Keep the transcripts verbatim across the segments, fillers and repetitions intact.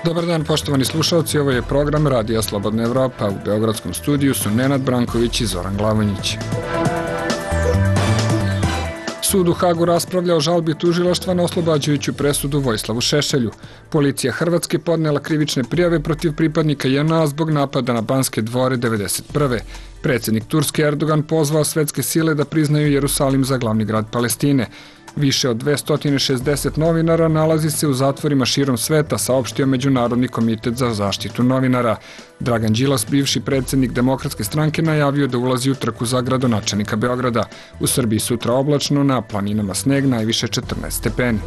Dobar dan, poštovani slušalci, ovo je program Radija Slobodna Evropa. U beogradskom studiju su Nenad Branković i Zoran Glavonjić. Sud u Hagu raspravlja o žalbi tužilaštva na oslobađajuću presudu Vojislavu Šešelju. Policija Hrvatske podnela krivične prijave protiv pripadnika J N A zbog napada na Banske dvore devedeset prve. Predsjednik Turske Erdogan pozvao svetske sile da priznaju Jerusalim za glavni grad Palestine. Više od dvesta šezdeset novinara nalazi se u zatvorima širom sveta, saopštio Međunarodni komitet za zaštitu novinara. Dragan Đilas, bivši predsjednik Demokratske stranke, najavio da ulazi u trku za gradonačelnika Beograda. U Srbiji sutra oblačno, na planinama sneg, najviše četrnaest stepeni.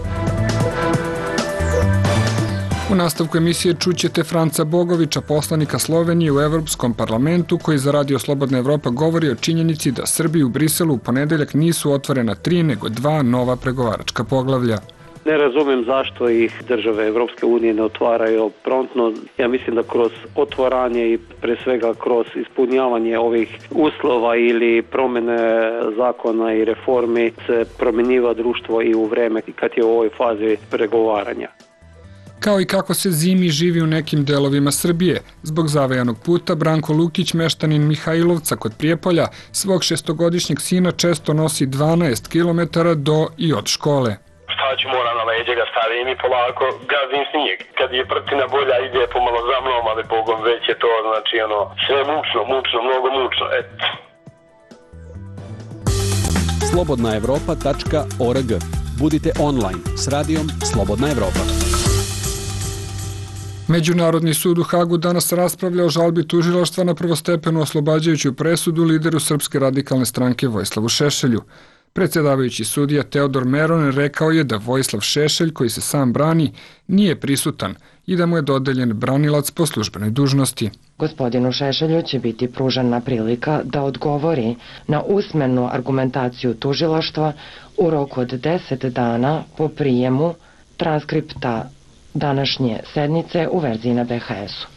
U nastavku emisije čućete Franca Bogovića, poslanika Slovenije u Evropskom parlamentu, koji za Radio Slobodna Evropa govori o činjenici da Srbiji u Briselu u ponedeljak nisu otvorena tri, nego dva nova pregovaračka poglavlja. Ne razumem zašto ih države Evropske unije ne otvaraju promptno. Ja mislim da kroz otvaranje i pre svega kroz ispunjavanje ovih uslova ili promjene zakona i reformi se promjenjiva društvo i u vreme kad je u ovoj fazi pregovaranja. Kao i kako se zimi živi u nekim delovima Srbije. Zbog zavejanog puta, Branko Lukić, meštanin Mihajlovca kod Prijepolja, svog šestogodišnjeg sina često nosi dvanaest kilometara do i od škole. Šta ću, mora na leđe ga stavim i polako gazim snijeg. Kad je prtina bolja, ide pomalo za mnom, ali Bogom već je to, znači ono, sve mučno, mučno, mnogo mučno, eto. slobodna evropa tačka org. Budite online s radijom Slobodna Evropa. Međunarodni sud u Hagu danas raspravlja o žalbi tužilaštva na prvostepenu oslobađajuću presudu lideru Srpske radikalne stranke Vojislavu Šešelju. Predsjedavajući sudija Teodor Meron rekao je da Vojislav Šešelj, koji se sam brani, nije prisutan i da mu je dodeljen branilac po službenoj dužnosti. Gospodinu Šešelju će biti pružena prilika da odgovori na usmenu argumentaciju tužilaštva u roku od deset dana po prijemu transkripta današnje sednice u verziji na be ha esu.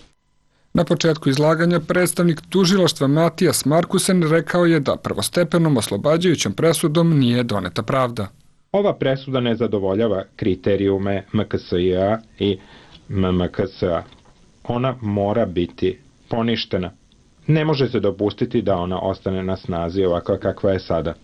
Na početku izlaganja predstavnik tužilaštva Matijas Markusen rekao je da prvostepenom oslobađajućom presudom nije doneta pravda. Ova presuda ne zadovoljava kriterijume em ka es i a i em em ka es a. Ona mora biti poništena. Ne može se dopustiti da ona ostane na snazi ovakva kakva je sada.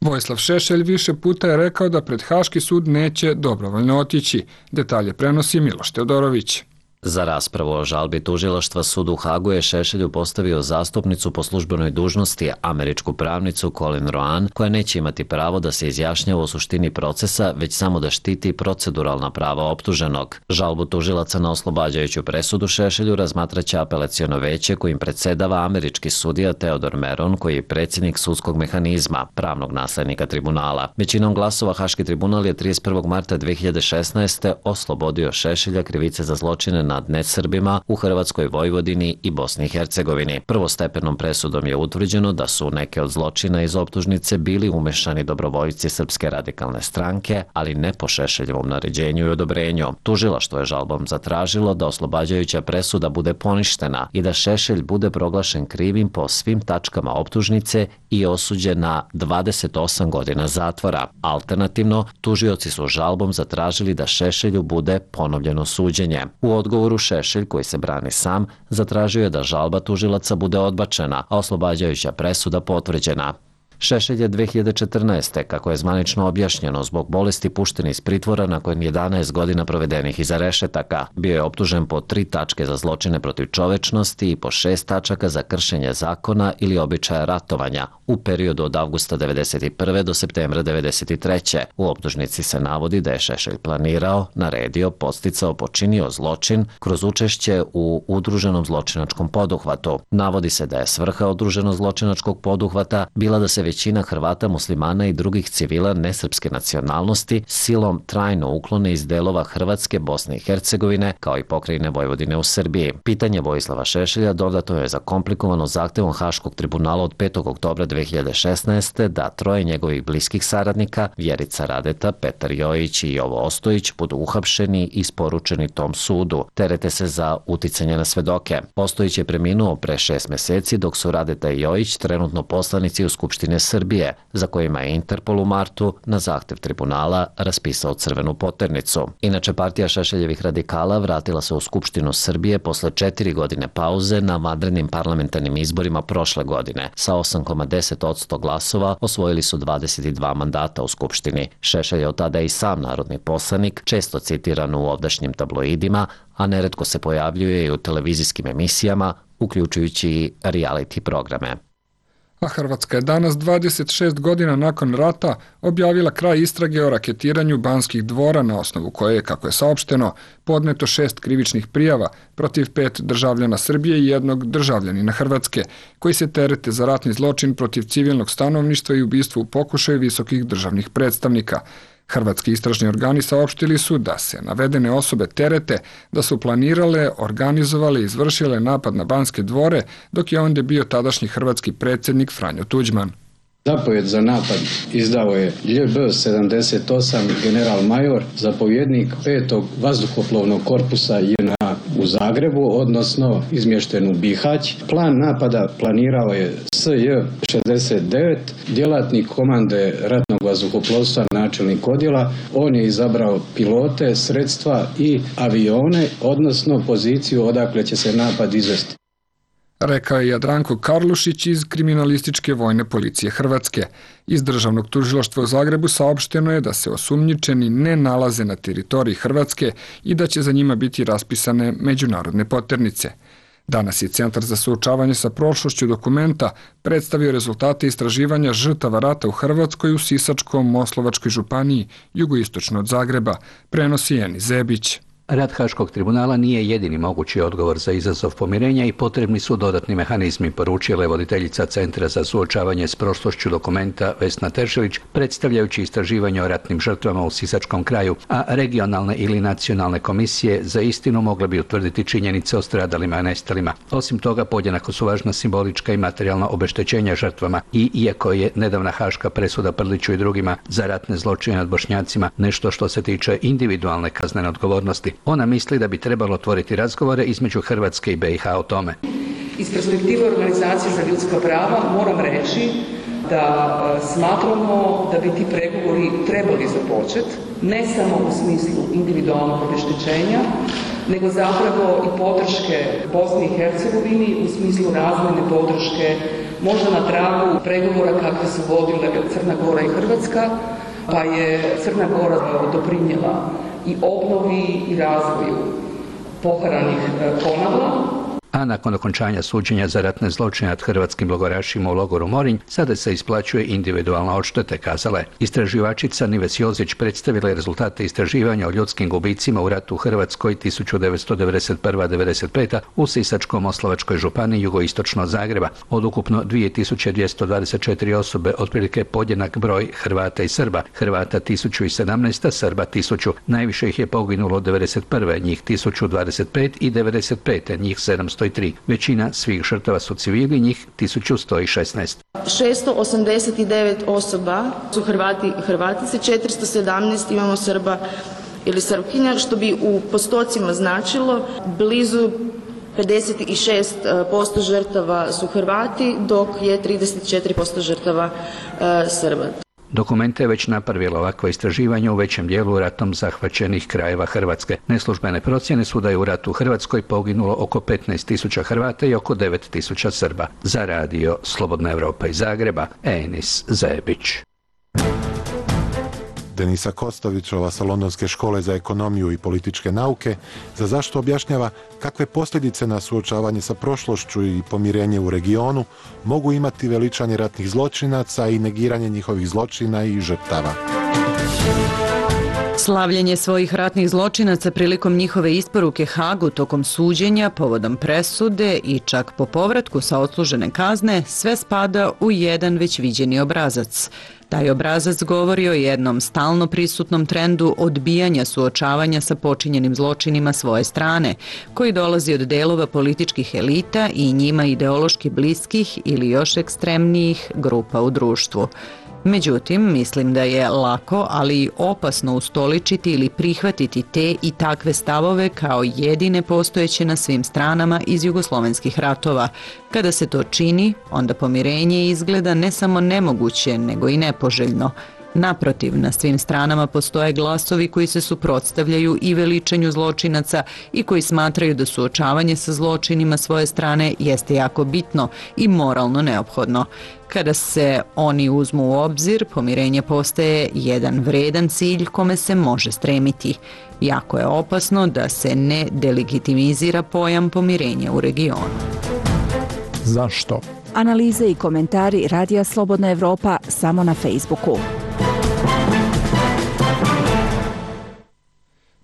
Vojislav Šešelj više puta je rekao da pred Haški sud neće dobrovoljno otići. Detalje prenosi Miloš Teodorović. Za raspravu o žalbi tužilaštva sud u Hagu je Šešelju postavio zastupnicu po službenoj dužnosti, američku pravnicu Colin Roan, koja neće imati pravo da se izjašnjava o suštini procesa, već samo da štiti proceduralna prava optuženog. Žalbu tužilaca na oslobađajuću presudu Šešelju razmatraće apelaciono veće kojim predsedava američki sudija Teodor Meron, koji je predsjednik sudskog mehanizma, pravnog naslednika tribunala. Većinom glasova Haški tribunal je trideset prvog marta dve hiljade šesnaeste. oslobodio Šešelja krivice za zločine nad nesrbima u Hrvatskoj, Vojvodini i Bosni i Hercegovini. Prvostepenom presudom je utvrđeno da su neke od zločina iz optužnice bili umešani dobrovoljci Srpske radikalne stranke, ali ne po Šešeljevom naređenju i odobrenju. Tužilaštvo je žalbom zatražilo da oslobađajuća presuda bude poništena i da Šešelj bude proglašen krivim po svim tačkama optužnice i osuđen na dvadeset osam godina zatvora. Alternativno, tužioci su žalbom zatražili da Šešelju bude ponovljeno suđenje. U odgovoru Šešelj, koji se brani sam, zatražio je da žalba tužilaca bude odbačena, a oslobađajuća presuda potvrđena. Šešelj je dve hiljade četrnaeste. kako je zvanično objašnjeno, zbog bolesti pušten iz pritvora nakon jedanaest godina provedenih iza rešetaka. Bio je optužen po tri tačke za zločine protiv čovečnosti i po šest tačaka za kršenje zakona ili običaja ratovanja u periodu od avgusta devedeset prve do septembra devedeset treće. U optužnici se navodi da je Šešelj planirao, naredio, podsticao, počinio zločin kroz učešće u udruženom zločinačkom poduhvatu. Navodi se da je svrha udruženog zločinačkog poduhvata bila da se većina Hrvata, muslimana i drugih civila nesrpske nacionalnosti silom trajno uklone iz delova Hrvatske, Bosne i Hercegovine, kao i pokrajine Vojvodine u Srbiji. Pitanje Vojislava Šešelja dodato je zakomplikovano zahtevom Haškog tribunala od petog oktobra dve hiljade šesnaeste. da troje njegovih bliskih saradnika, Vjerica Radeta, Petar Jojić i Jovo Ostojić, budu uhapšeni i isporučeni tom sudu. Terete se za uticanje na svedoke. Ostojić je preminuo pre šest meseci, dok su Radeta i Jojić trenutno poslanici u Skupštine Srbije, za kojima je Interpol u martu na zahtev tribunala raspisao crvenu poternicu. Inače, partija Šešeljevih radikala vratila se u Skupštinu Srbije posle četiri godine pauze na vanrednim parlamentarnim izborima prošle godine. Sa osam zarez deset posto glasova osvojili su dvadeset dva mandata u Skupštini. Šešelj je od tada i sam narodni poslanik, često citiran u ovdašnjim tabloidima, a neretko se pojavljuje i u televizijskim emisijama, uključujući i reality programe. A Hrvatska je danas, dvadeset šest godina nakon rata, objavila kraj istrage o raketiranju Banskih dvora, na osnovu koje je, kako je saopšteno, podneto šest krivičnih prijava protiv pet državljana Srbije i jednog državljanina Hrvatske, koji se terete za ratni zločin protiv civilnog stanovništva i ubistvo u pokušaju visokih državnih predstavnika. Hrvatski istražni organi saopštili su da se navedene osobe terete da su planirale, organizovale i izvršile napad na Banske dvore, dok je ondje bio tadašnji hrvatski predsjednik Franjo Tuđman. Zapovjed za napad izdao je Lj B sedamdeset osam general major, zapovjednik petog vazduhoplovnog korpusa J N A u Zagrebu, odnosno izmješten u Bihać. Plan napada planirao je S J šezdeset devet, djelatnik komande ratnog vazduhoplovstva, načelnik odjela. On je izabrao pilote, sredstva i avione, odnosno poziciju odakle će se napad izvesti. Rekao je Jadranko Karlušić iz Kriminalističke vojne policije Hrvatske. Iz Državnog tužilaštva u Zagrebu saopšteno je da se osumnjičeni ne nalaze na teritoriji Hrvatske i da će za njima biti raspisane međunarodne poternice. Danas je Centar za suočavanje sa prošlošću dokumenta predstavio rezultate istraživanja žrtava rata u Hrvatskoj u Sisačko-Moslovačkoj županiji, jugoistočno od Zagreba, prenosi Eni Zebić. Rad Haškog tribunala nije jedini mogući odgovor za izazov pomirenja i potrebni su dodatni mehanizmi, poručila je voditeljica Centra za suočavanje s prošlošću dokumenta Vesna Teršelić, predstavljajući istraživanje o ratnim žrtvama u Sisačkom kraju, a regionalne ili nacionalne komisije za istinu mogle bi utvrditi činjenice o stradalima i nestalima. Osim toga, podjednako su važna simbolička i materijalna obeštećenja žrtvama i iako je nedavna haška presuda Prliću i drugima za ratne zločine nad Bošnjacima nešto što se tiče individualne kaznene odgovornosti, ona misli da bi trebalo otvoriti razgovore između Hrvatske i B i H o tome. Iz perspektive Organizacije za ljudska prava moram reći da smatramo da bi ti pregovori trebali započeti, ne samo u smislu individualnog obeštećenja, nego zapravo i podrške Bosni i Hercegovini u smislu razvojne podrške, možda na tragu pregovora kakve su vodile Crna Gora i Hrvatska, pa je Crna Gora doprinijela i obnovi i razvoju poharanih Konavla. A nakon okončanja suđenja za ratne zločine nad hrvatskim logorašima u logoru Morinj, sada se isplaćuje individualna odštete, kazala je. Istraživačica Nives Jozić predstavila je rezultate istraživanja o ljudskim gubicima u ratu u Hrvatskoj tisuću devetsto devedeset prva do devedeset peta u Sisačko-Moslavačkoj županiji jugoistočno od Zagreba. Od ukupno dvije tisuće dvjesto dvadeset četiri osobe, otprilike podjednak broj Hrvata i Srba. Hrvata tisuću sedamnaest, a Srba tisuću. Najviše ih je poginulo devedeset prve, njih tisuću dvadeset pet i devedeset pete, njih sedamsto tri. Većina svih žrtava su civili, njih tisuću sto šesnaest. šesto osamdeset devet osoba su Hrvati i Hrvatice, četiristo sedamnaest imamo Srba ili Srpkinja, što bi u postocima značilo blizu pedeset šest posto žrtava su Hrvati, dok je trideset četiri posto žrtava e, Srba. Dokumente je već napravila ovakva istraživanja u većem dijelu ratom zahvaćenih krajeva Hrvatske. Neslužbene procjene su da je u ratu u Hrvatskoj poginulo oko petnaest tisuća Hrvata i oko devet tisuća Srba. Za radio Slobodna Evropa iz Zagreba, Enis Zebić. Denisa Kostovićova sa Londonske škole za ekonomiju i političke nauke za zašto objašnjava kakve posljedice na suočavanje sa prošlošću i pomirenje u regionu mogu imati veličanje ratnih zločinaca i negiranje njihovih zločina i žrtava. Slavljenje svojih ratnih zločinaca prilikom njihove isporuke Hagu tokom suđenja, povodom presude i čak po povratku sa odslužene kazne, sve spada u jedan već viđeni obrazac. Taj obrazac govori o jednom stalno prisutnom trendu odbijanja suočavanja sa počinjenim zločinima svoje strane, koji dolazi od delova političkih elita i njima ideološki bliskih ili još ekstremnijih grupa u društvu. Međutim, mislim da je lako, ali i opasno ustoličiti ili prihvatiti te i takve stavove kao jedine postojeće na svim stranama iz jugoslovenskih ratova. Kada se to čini, onda pomirenje izgleda ne samo nemoguće, nego i nepoželjno. Naprotiv, na svim stranama postoje glasovi koji se suprotstavljaju i veličanju zločinaca i koji smatraju da suočavanje sa zločinima svoje strane jeste jako bitno i moralno neophodno. Kada se oni uzmu u obzir, pomirenje postaje jedan vredan cilj kome se može stremiti. Jako je opasno da se ne delegitimizira pojam pomirenja u regionu. Zašto? Analize i komentari Radija Slobodna Evropa samo na Facebooku.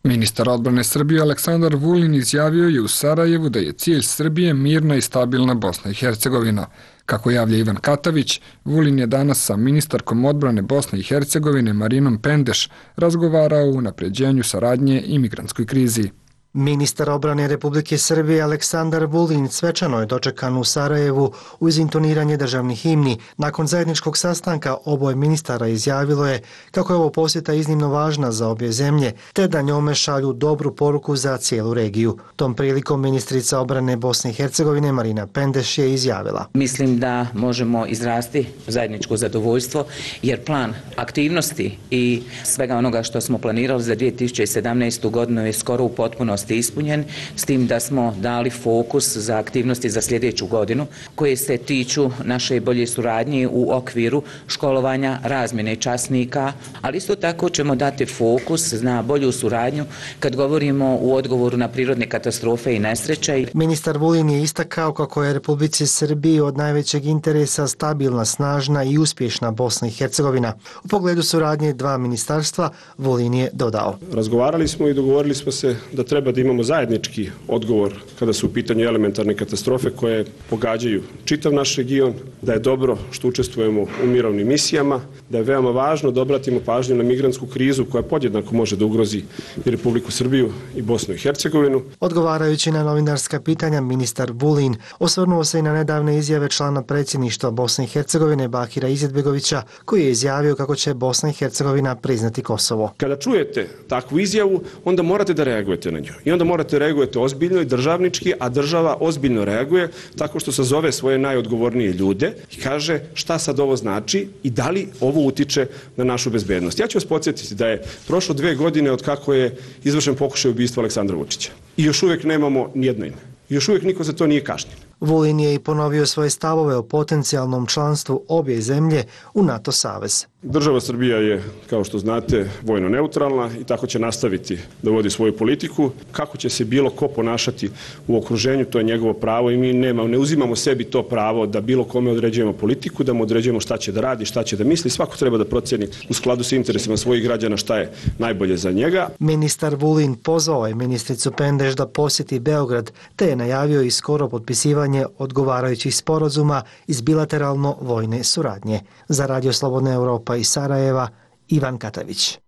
Ministar odbrane Srbije Aleksandar Vulin izjavio je u Sarajevu da je cilj Srbije mirna i stabilna Bosna i Hercegovina. Kako javlja Ivan Katavić, Vulin je danas sa ministarkom odbrane Bosne i Hercegovine Marinom Pendeš razgovarao o unapređenju saradnje i migrantskoj krizi. Ministar odbrane Republike Srbije Aleksandar Vulin svečano je dočekan u Sarajevu uz intoniranje državnih himni. Nakon zajedničkog sastanka oboje ministara izjavilo je kako je ovo posjeta iznimno važna za obje zemlje, te da njome šalju dobru poruku za cijelu regiju. Tom prilikom ministrica odbrane Bosne i Hercegovine Marina Pendeš je izjavila: Mislim da možemo izrasti zajedničko zadovoljstvo, jer plan aktivnosti i svega onoga što smo planirali za dvije tisuće sedamnaestu. godinu je skoro u potpunosti ispunjen, s tim da smo dali fokus za aktivnosti za sljedeću godinu koje se tiču naše bolje suradnje u okviru školovanja, razmjene časnika, ali isto tako ćemo dati fokus na bolju suradnju kad govorimo u odgovoru na prirodne katastrofe i nesreće. Ministar Vulin je istakao kako je Republici Srbiji od najvećeg interesa stabilna, snažna i uspješna Bosna i Hercegovina. U pogledu suradnje dva ministarstva Vulin je dodao: Razgovarali smo i dogovorili smo se da treba da imamo zajednički odgovor kada su u pitanju elementarne katastrofe koje pogađaju čitav naš region, da je dobro što učestvujemo u mirovnim misijama, da je veoma važno da obratimo pažnju na migrantsku krizu koja podjednako može da ugrozi i Republiku Srbiju i Bosnu i Hercegovinu. Odgovarajući na novinarska pitanja, ministar Vulin osvrnuo se i na nedavne izjave člana predsjedništva Bosne i Hercegovine Bakira Izetbegovića, koji je izjavio kako će Bosna i Hercegovina priznati Kosovo. Kada čujete takvu izjavu, onda morate da reagujete na nju. I onda morate reagujete ozbiljno i državnički, a država ozbiljno reaguje tako što sazove svoje najodgovornije ljude i kaže šta sad ovo znači i da li ovo utiče na našu bezbednost. Ja ću vas podsjetiti da je prošlo dve godine od kako je izvršen pokušaj ubistva Aleksandra Vučića. I još uvijek nemamo nijedno ime. I još uvijek niko za to nije kažnjen. Vulin je i ponovio svoje stavove o potencijalnom članstvu obje zemlje u NATO savez. Država Srbija je, kao što znate, vojno neutralna i tako će nastaviti da vodi svoju politiku. Kako će se bilo ko ponašati u okruženju, to je njegovo pravo i mi nema, ne uzimamo sebi to pravo da bilo kome određujemo politiku, da mu određujemo šta će da radi, šta će da misli. Svako treba da procjeni u skladu sa interesima svojih građana šta je najbolje za njega. Ministar Vulin pozvao je ministricu Pendeš da posjeti Beograd, te je najavio i skoro potpisivanje odgovarajućih sporazuma iz bilateralno vojne suradnje. Za Radio Slobodna Evropa iz Sarajeva, Ivan Katavić.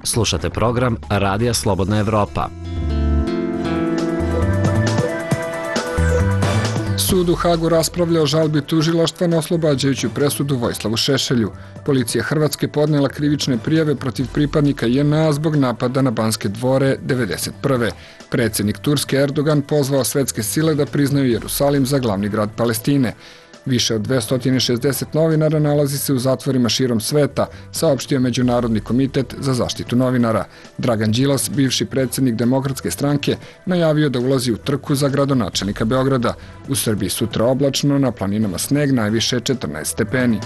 Slušate program Radija Slobodna Evropa. Sud u Hagu raspravlja o žalbi tužilaštva na oslobađajuću presudu Vojislavu Šešelju. Policija Hrvatske podnela krivične prijave protiv pripadnika J N A zbog napada na Banske dvore devedeset prve. Predsjednik Turske Erdogan pozvao svetske sile da priznaju Jerusalim za glavni grad Palestine. Više od dvesta šezdeset novinara nalazi se u zatvorima širom sveta, saopštio Međunarodni komitet za zaštitu novinara. Dragan Đilas, bivši predsjednik Demokratske stranke, najavio da ulazi u trku za gradonačelnika Beograda. U Srbiji sutra oblačno, na planinama sneg, najviše četrnaest stepeni.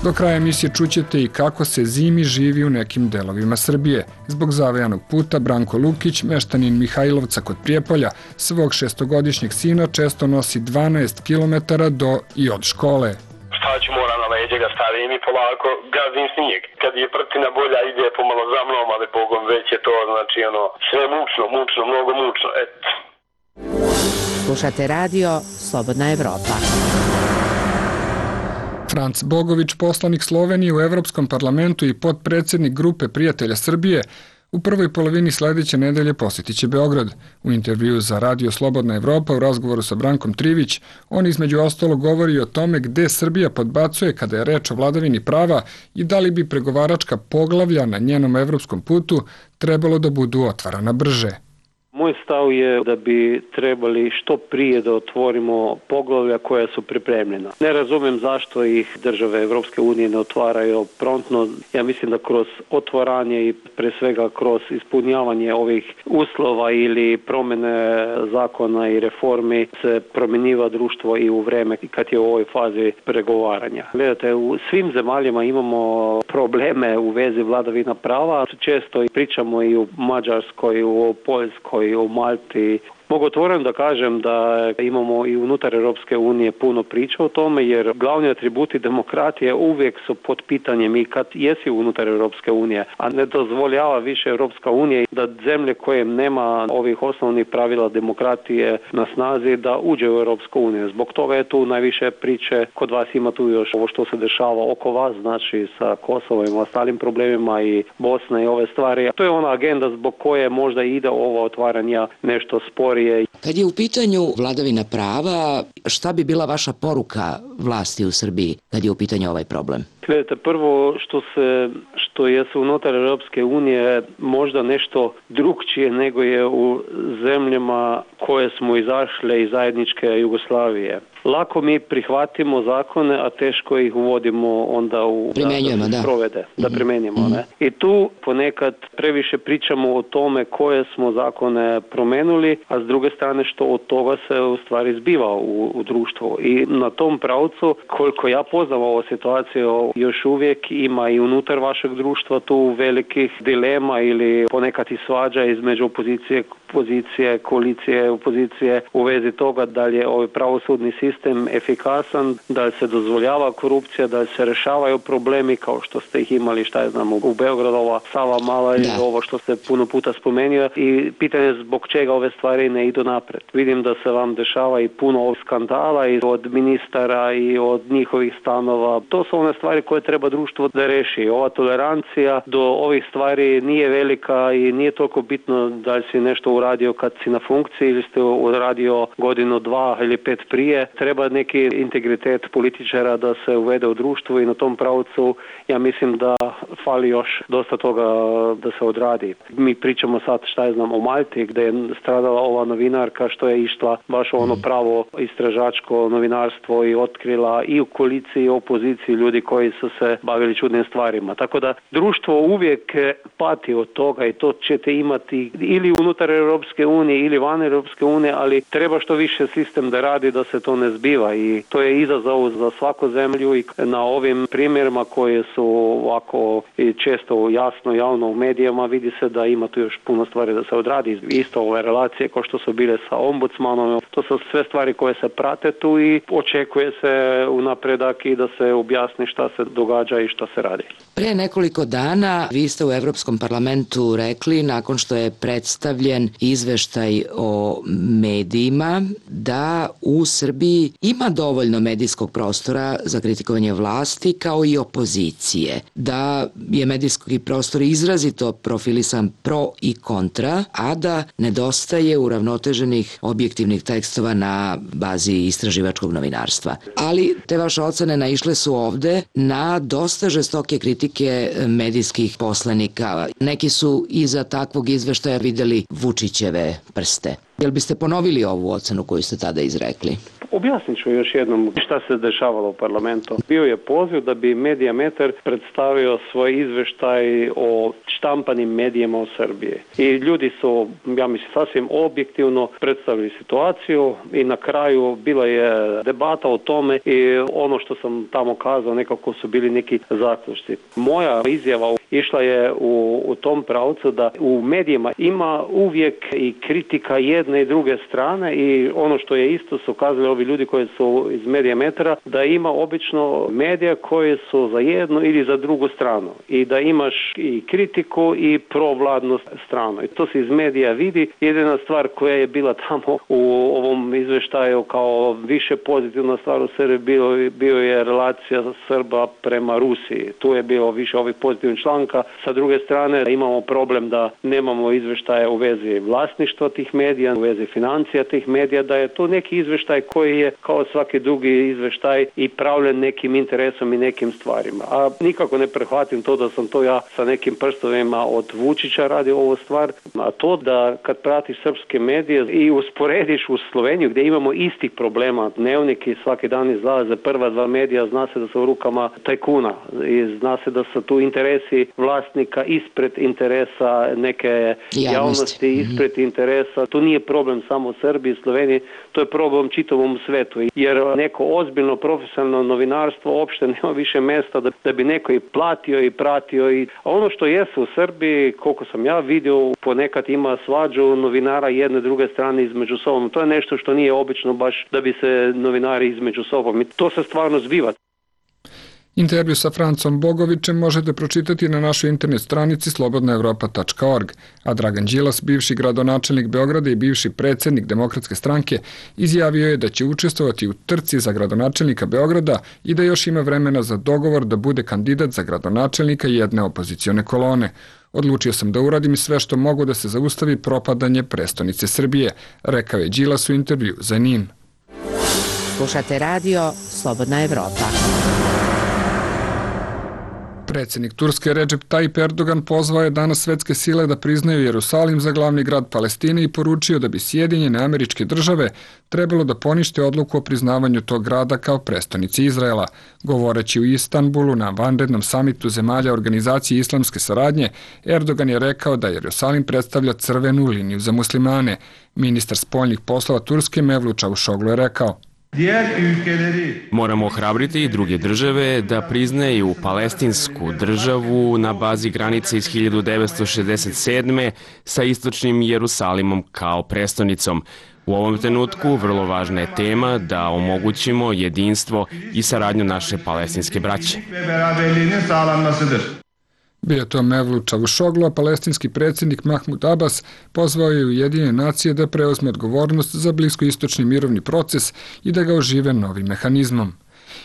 Do kraja emisije čućete i kako se zimi živi u nekim delovima Srbije. Zbog zavejanog puta Branko Lukić, meštanin Mihajlovca kod Prijepolja, svog šestogodišnjeg sina često nosi dvanaest kilometara do i od škole. Šta ću, moram na leđe ga stavim i polako gazim snijeg. Kad je prtina bolja ide pomalo za mnom, ali Bogom već je to znači ono sve mučno, mučno, mnogo mučno, eto. Slušate radio Slobodna Evropa. Franc Bogović, poslanik Slovenije u Evropskom parlamentu i potpredsjednik grupe Prijatelja Srbije, u prvoj polovini sljedeće nedelje posjetit će Beograd. U intervju za Radio Slobodna Evropa u razgovoru sa Brankom Trivić, on između ostalog govori o tome gde Srbija podbacuje kada je reč o vladavini prava i da li bi pregovaračka poglavlja na njenom evropskom putu trebalo da budu otvarana brže. Moj stav je da bi trebali što prije da otvorimo poglavlja koja su pripremljena. Ne razumem zašto ih države Evropske unije ne otvaraju prontno. Ja mislim da kroz otvaranje i pre svega kroz ispunjavanje ovih uslova ili promjene zakona i reformi se promjenjiva društvo i u vreme kad je u ovoj fazi pregovaranja. Gledajte, u svim zemaljama imamo probleme u vezi vladavina prava. Često pričamo i u Mađarskoj, u Poljskoj, u Malti. Mogu otvoreno da kažem da imamo i unutar Europske unije puno priča o tome, jer glavni atributi demokratije uvijek su pod pitanjem i kad jesi unutar Europske unije, a ne dozvoljava više Europska unija da zemlje koje nema ovih osnovnih pravila demokratije na snazi da uđe u Europsku uniju. Zbog toga je tu najviše priče, kod vas ima tu još ovo što se dešava oko vas, znači sa Kosovom i ostalim problemima i Bosna i ove stvari. To je ona agenda zbog koje možda ide ovo otvaranje nešto sporije. Kad je u pitanju vladavina prava, šta bi bila vaša poruka vlasti u Srbiji kad je u pitanju ovaj problem? Gledajte, prvo što se što je su unutar Europske unije možda nešto drugčije nego je u zemljama koje smo izašle iz zajedničke Jugoslavije. Lako mi prihvatimo zakone, a teško ih uvodimo onda u primjenjujemo, da, da. provede, da primjenjujemo. Mm-hmm. Ne? I tu ponekad previše pričamo o tome koje smo zakone promenuli, a s druge strane što od toga se u stvari zbiva u, u društvu. I na tom pravcu, koliko ja poznam ovu situaciju, još uvijek ima i unutar vašeg društva tu velikih dilema ili ponekad i svađa između opozicije, pozicije, koalicije, opozicije u vezi toga da li je ovaj pravosudni sistem efikasan, da li se dozvoljava korupcija, da li se rešavaju problemi kao što ste ih imali, šta je znamo, u Beogradu, ova Sava Mala i ovo što ste puno puta spomenuo i pitanje zbog čega ove stvari ne idu napred. Vidim da se vam dešava i puno ovih skandala i od ministara i od njihovih stanova. To su one stvari koje treba društvo da reši. Ova tolerancija do ovih stvari nije velika i nije toliko bitno da li si nešto uradio kad si na funkciji ili ste uradio godinu, dva ili pet prije. Treba neki integritet političara da se uvede u društvu i na tom pravcu ja mislim da fali još dosta toga da se odradi. Mi pričamo sad šta je znam o Malti gdje je stradala ova novinarka što je išla baš ono pravo istražačko novinarstvo i otkrila i u koaliciji i u opoziciji ljudi koji su se bavili čudnim stvarima. Tako da društvo uvijek pati od toga i to ćete imati ili unutar Europske unije ili van Europske unije, ali treba što više sistem da radi da se to ne zbiva i to je izazov za svaku zemlju i na ovim primjerima koje su ovako i često jasno javno u medijama vidi se da ima tu još puno stvari da se odradi. Isto ove relacije kao što su bile sa ombudsmanom, to su sve stvari koje se prate tu i očekuje se u napredak i da se objasni šta se događa i šta se radi. Pre nekoliko dana vi ste u Evropskom parlamentu rekli, nakon što je predstavljen izveštaj o medijima, da u Srbiji ima dovoljno medijskog prostora za kritikovanje vlasti kao i opozicije, da je medijski prostor izrazito profilisan pro i kontra, a da nedostaje uravnoteženih objektivnih tekstova na bazi istraživačkog novinarstva. Ali te vaše ocene naišle su ovde na dosta žestoke kritike medijskih poslanika. Neki su iza takvog izveštaja videli Vučićeve prste. Jel biste ponovili ovu ocenu koju ste tada izrekli? Objasnit ću još jednom šta se dešavalo u parlamentu. Bio je poziv da bi Mediametar predstavio svoj izveštaj o štampanim medijima u Srbiji. I ljudi su, ja mislim, sasvim objektivno predstavili situaciju i na kraju bila je debata o tome i ono što sam tamo kazao nekako su bili neki zaključci. Moja izjava išla je u, u tom pravcu da u medijima ima uvijek i kritika jedne i druge strane i ono što je isto su kazali ovi ljudi koji su iz Medijametra, da ima obično medija koji su za jednu ili za drugu stranu i da imaš i kritiku i provladnu stranu. I to se iz medija vidi. Jedina stvar koja je bila tamo u ovom izveštaju kao više pozitivna stvar u Srbiji bio, bio je relacija Srba prema Rusiji. Tu je bilo više ovih pozitivnih članka. Sa druge strane imamo problem da nemamo izveštaje u vezi vlasništva tih medija, u vezi financija tih medija, da je to neki izveštaj koji je kao svaki drugi izveštaj i pravljen nekim interesom i nekim stvarima. A nikako ne prihvatim to da sam to ja sa nekim prstovima od Vučića radio ovu stvar, a to da kad pratiš srpske medije i usporediš u Sloveniju gdje imamo istih problema, dnevniki svaki dan izlaze, prva dva medija zna se da su u rukama tajkuna i zna se da su tu interesi vlasnika ispred interesa neke javnosti, javnosti ispred mm-hmm. interesa. To nije problem samo u Srbiji i Sloveniji, to je problem čitavom svetu, jer neko ozbiljno profesionalno novinarstvo uopšte nema više mjesta da, da bi neko i platio i pratio. I, a ono što jesu u Srbiji, koliko sam ja vidio, ponekad ima svađu novinara jedne druge strane između sobom. To je nešto što nije obično baš da bi se novinari između sobom. I to se stvarno zbiva. Intervju sa Francom Bogovićem možete pročitati na našoj internet stranici slobodna evropa tačka org, a Dragan Đilas, bivši gradonačelnik Beograda i bivši predsjednik Demokratske stranke, izjavio je da će učestvovati u trci za gradonačelnika Beograda i da još ima vremena za dogovor da bude kandidat za gradonačelnika jedne opozicione kolone. Odlučio sam da uradim sve što mogu da se zaustavi propadanje prestonice Srbije, rekao je Đilas u intervju za N I N. Slušate radio Slobodna Evropa. Predsjednik Turske Recep Tayyip Erdogan pozvao je danas svetske sile da priznaju Jerusalim za glavni grad Palestine i poručio da bi Sjedinjene Američke Države trebalo da ponište odluku o priznavanju tog grada kao prestonici Izraela. Govoreći u Istanbulu na vanrednom samitu zemalja Organizacije islamske saradnje, Erdogan je rekao da Jerusalim predstavlja crvenu liniju za muslimane. Ministar spoljnih poslova Turske Mevlut Čavuşoglu je rekao: Moramo ohrabriti i druge države da priznaju palestinsku državu na bazi granice iz hiljadu devetsto šezdeset sedme sa istočnim Jerusalimom kao prestonicom. U ovom trenutku vrlo važna je tema da omogućimo jedinstvo i saradnju naše palestinske braće. Bio to Mevlut Čavuşoglu, a palestinski predsjednik Mahmud Abbas pozvao je Ujedinjene nacije da preuzme odgovornost za bliskoistočni mirovni proces i da ga ožive novim mehanizmom.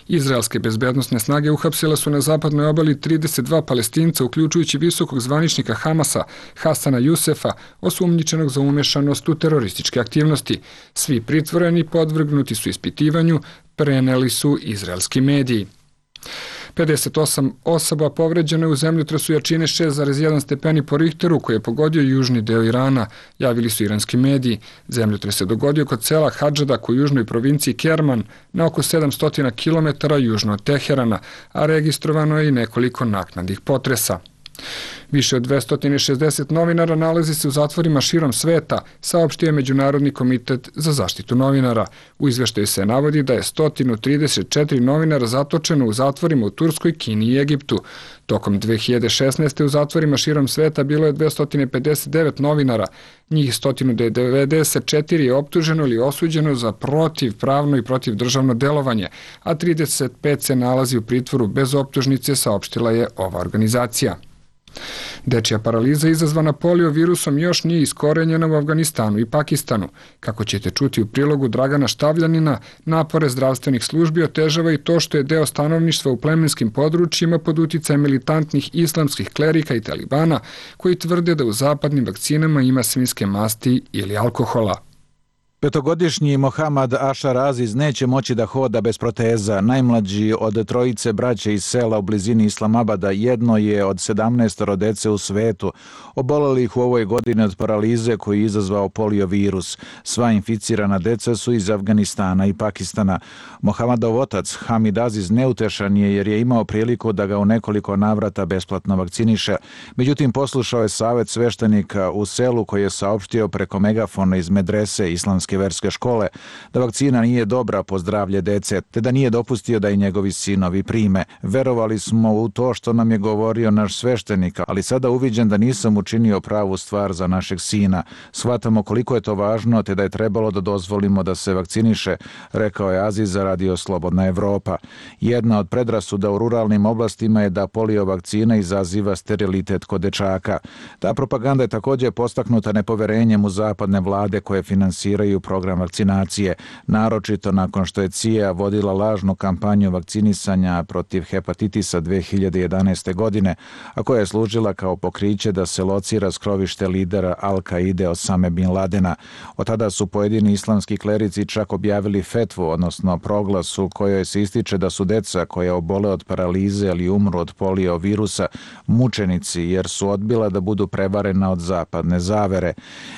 Izraelske bezbednosne snage uhapsile su na zapadnoj obali trideset dva Palestinca, uključujući visokog zvaničnika Hamasa Hasana Jusefa, osumnjičenog za umješanost u terorističke aktivnosti. Svi pritvoreni podvrgnuti su ispitivanju, preneli su izraelski mediji. pedeset osam osoba povređeno je u zemljotresu jačine šest zarez jedan stepeni po Richteru koji je pogodio južni deo Irana, javili su iranski mediji. Zemljotres se dogodio kod sela Hadžadak u južnoj provinciji Kerman na oko sedamsto kilometara južno od Teherana, a registrovano je i nekoliko naknadnih potresa. Više od dvesta šezdeset novinara nalazi se u zatvorima širom sveta, saopštio je Međunarodni komitet za zaštitu novinara. U izveštaju se navodi da je sto trideset četiri novinara zatočeno u zatvorima u Turskoj, Kini i Egiptu. Tokom dve hiljade šesnaeste. u zatvorima širom sveta bilo je dvesta pedeset devet novinara, njih sto devedeset četiri je optuženo ili osuđeno za protivpravno i protivdržavno delovanje, a trideset pet se nalazi u pritvoru bez optužnice, saopštila je ova organizacija. Dečja paraliza izazvana polio virusom još nije iskorenjena u Afganistanu i Pakistanu. Kako ćete čuti u prilogu Dragana Štavljanina, napore zdravstvenih službi otežava i to što je deo stanovništva u plemenskim područjima pod uticajem militantnih islamskih klerika i talibana koji tvrde da u zapadnim vakcinama ima svinjske masti ili alkohola. Petogodišnji Mohamad Ašar Aziz neće moći da hoda bez proteza. Najmlađi od trojice braće iz sela u blizini Islamabada jedno je od sedamnaestoro dece u svetu, obolelih u ovoj godini od paralize koji je izazvao polio virus. Sva inficirana deca su iz Afganistana i Pakistana. Mohamadov otac Hamid Aziz neutešan je jer je imao priliku da ga u nekoliko navrata besplatno vakciniše. Međutim, poslušao je savjet sveštenika u selu koji je saopštio preko megafona iz medrese Islamske Oslobođeničke verske škole da vakcina nije dobra po zdravlje dece, te da nije dopustio da i njegovi sinovi prime. Verovali smo u to što nam je govorio naš sveštenik, ali sada uviđam da nisam učinio pravu stvar za našeg sina. Shvatamo koliko je to važno, te da je trebalo da dozvolimo da se vakciniše, rekao je Aziz za Radio Slobodna Evropa. Jedna od predrasuda u ruralnim oblastima je da polio vakcina izaziva sterilitet kod dečaka. Ta propaganda je također postaknuta nepoverenjem u zapadne vlade koje finansiraju program vakcinacije, naročito nakon što je C I A vodila lažnu kampanju vakcinisanja protiv hepatitisa dve hiljade jedanaeste. godine, a koja je služila kao pokriće da se locira skrovište lidera Al-Kaide Osame Bin Ladena. Od tada su pojedini islamski klerici čak objavili fetvu, odnosno proglas u kojoj se ističe da su deca koja obole od paralize ili umru od polio virusa mučenici jer su odbila da budu prevarena od zapadne zavere.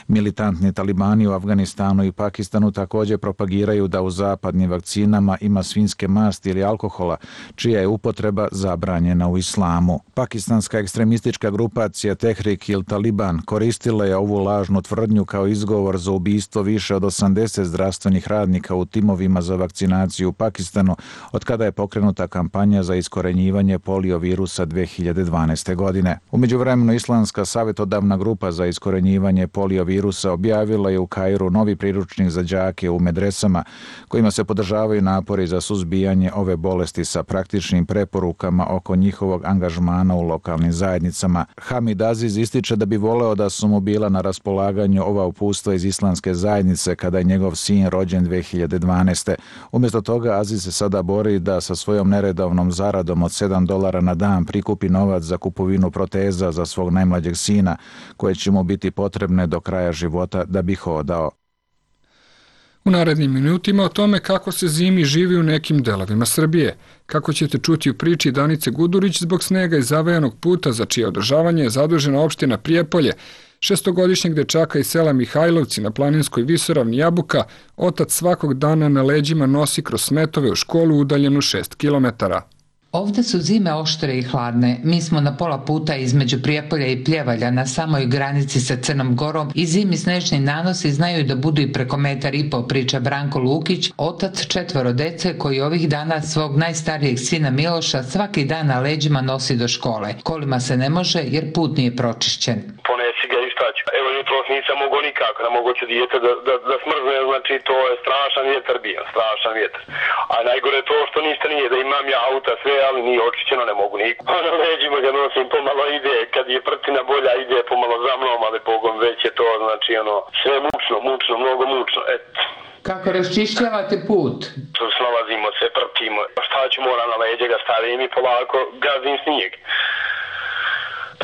Militantni talibani u Afganistanu i Pakistanu također propagiraju da u zapadnim vakcinama ima svinjske masti ili alkohola, čija je upotreba zabranjena u islamu. Pakistanska ekstremistička grupacija Tehrik il Taliban koristila je ovu lažnu tvrdnju kao izgovor za ubistvo više od osamdeset zdravstvenih radnika u timovima za vakcinaciju u Pakistanu od kada je pokrenuta kampanja za iskorenjivanje poliovirusa dve hiljade dvanaeste. godine. U međuvremenu Islamska savjetodavna grupa za iskorenjivanje poliovirusa objavila je u Kairu novi priručnik za đake u medresama kojima se podržavaju napori za suzbijanje ove bolesti sa praktičnim preporukama oko njihovog angažmana u lokalnim zajednicama. Hamid Aziz ističe da bi voleo da su mu bila na raspolaganju ova upustva iz islamske zajednice kada je njegov sin rođen dve hiljade dvanaeste. Umjesto toga Aziz se sada bori da sa svojom neredovnom zaradom od sedam dolara na dan prikupi novac za kupovinu proteza za svog najmlađeg sina, koje će mu biti potrebne do kraja života da bi hodao. U narednim minutima o tome kako se zimi živi u nekim delovima Srbije, kako ćete čuti u priči Danice Gudurić zbog snega i zavajanog puta za čije održavanje je zadužena opština Prijepolje. Šestogodišnjeg dečaka iz sela Mihajlovci na planinskoj visoravni Jabuka otac svakog dana na leđima nosi kroz smetove u školu udaljenu šest kilometara. Ovde su zime oštre i hladne. Mi smo na pola puta između Prijepolja i Pljevalja na samoj granici sa Crnom Gorom i zimi snežni nanosi znaju da budu i preko metar i po, priča Branko Lukić, otac četvoro dece koji ovih dana svog najstarijeg sina Miloša svaki dan na leđima nosi do škole. Kolima se ne može jer put nije pročišćen. Ponesi ga i šta ću. Evo jutros nisam mogo nikako, ne mogo ću dijete da, da, da smrzne, znači to je strašan vjetar bio, strašan vjetar. A najgore je to što ništa nije, da imam ja auta sve, ali nije očišćeno, ne mogu niko. A na leđima ga nosim, pomalo ide, kad je prtina bolja ide pomalo za mnom, ali Bogom već je to, znači ono, sve mučno, mučno, mnogo mučno, eto. Kako raščišćavate put? Snalazimo se, prtimo, šta ću mora na leđe ga stavim i polako gazim snijeg.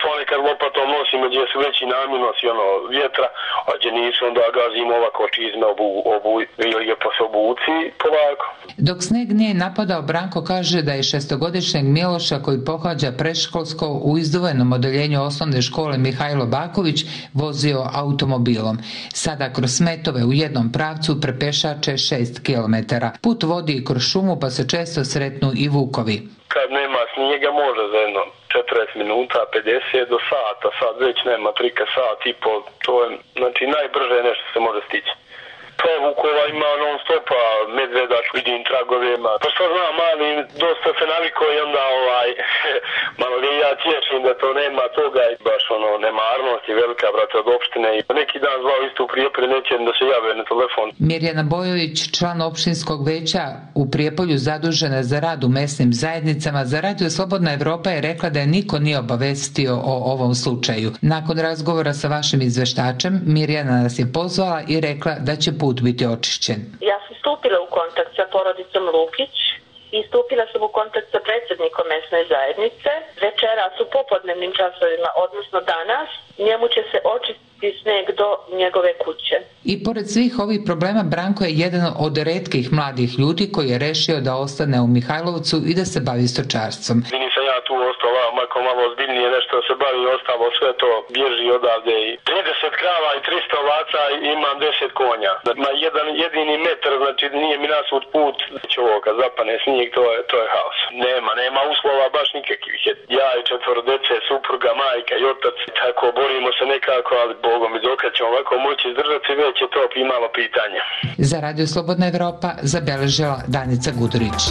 Ponekad lopatom nosimo gdje su veći namjenosi ono, vjetra, a gdje nisu onda gazimo ovako čizme obu, obu, ili je po se obuci polako. Dok sneg nije napadao, Branko kaže da je šestogodišnjeg Miloša koji pohađa preškolsko u izduvenom odeljenju osnovne škole Mihajlo Baković vozio automobilom. Sada kroz smetove u jednom pravcu prepešače šest kilometara. Put vodi kroz šumu pa se često sretnu i vukovi. Kad nema snijega može za jedno četrdeset minuta, pedeset do sata, sad već nema trika sat i pol, to je znači najbrže nešto se može stići. Pa vukova ima non stopa, medveda, vidim tragovima, pa što znam, ali dosta se naviko i onda ovaj, malo li ja tješim da to nema toga i baš ono, nemarnost je velika, brate, od opštine i neki dan zvao isto u Prijepolju, neće da se jave na telefon. Mirjana Bojović, član opštinskog veća u Prijepolju zadužena za rad u mesnim zajednicama, za Radio Slobodna Evropa je rekla da je niko nije obavestio o ovom slučaju. Nakon razgovora sa vašim izveštačem, Mirjana nas je pozvala i rekla da će put biti očišćen. Ja sam stupila u kontakt sa porodicom Lukić i stupila sam u kontakt sa predsjednikom mesne zajednice. Večeras u popodnevnim časovima, odnosno danas, njemu će se očistiti sneg do njegove kuće. I pored svih ovih problema, Branko je jedan od retkih mladih ljudi koji je rešio da ostane u Mihajlovcu i da se bavi stočarstvom. Nisam ja tu tu ostao ovako malo ozbiljnije nešto se bavi, ostalo sve to bježi odavde i trideset krava i tristo ovaca i imam deset konja. Ma jedan jedini metar, znači nije mi nasud put, će ovo kad zapane snijeg, to je, to je haos. Nema, nema uslova baš nikakvih. Ja i četvoro dece, supruga, majka i otac, tako borimo se nekako, ali Bogom i dokad ćemo ovako moći izdržati, već je to imalo pitanje. Za Radio Slobodna Evropa zabeležila Danica Gudurić.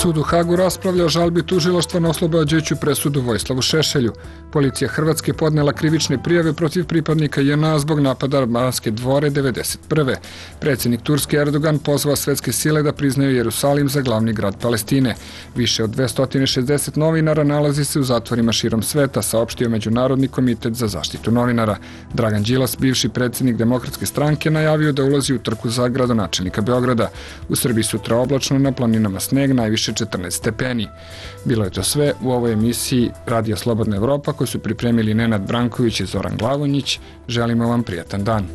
Sud u Hagu raspravlja o žalbi tužilaštva na oslobađajuću presudu Vojislavu Šešelju. Policija Hrvatske podnela krivične prijave protiv pripadnika J N A zbog napada na Banske dvore devedeset prve. Predsjednik Turske Erdogan pozvao svetske sile da priznaju Jerusalim za glavni grad Palestine. Više od dvesta šezdeset novinara nalazi se u zatvorima širom sveta, saopštio Međunarodni komitet za zaštitu novinara. Dragan Đilas, bivši predsjednik Demokratske stranke, najavio da ulazi u trku za gradonačelnika Beograda. U Srbiji sutra oblačno, na planinama sneg, najviše četrnaest stepeni. Bilo je to sve u ovoj emisiji Radija Slobodna Evropa koju su pripremili Nenad Branković i Zoran Glavonjić. Želimo vam prijatan dan.